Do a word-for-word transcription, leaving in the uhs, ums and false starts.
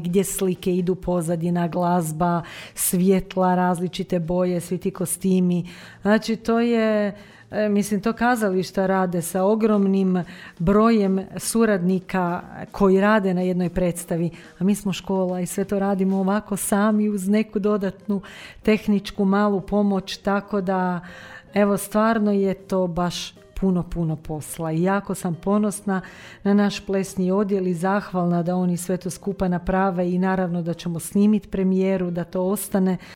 gdje slike idu, pozadina, glazba, svjetla, različite boje, svi ti kostimi. Znači to je, mislim, to kazališta rade sa ogromnim brojem suradnika koji rade na jednoj predstavi, a mi smo škola i sve to radimo ovako sami uz neku dodatnu tehničku malu pomoć, tako da evo stvarno je to baš puno, puno posla i jako sam ponosna na naš plesni odjel i zahvalna da oni sve to skupa naprave i naravno da ćemo snimiti premijeru, da to ostane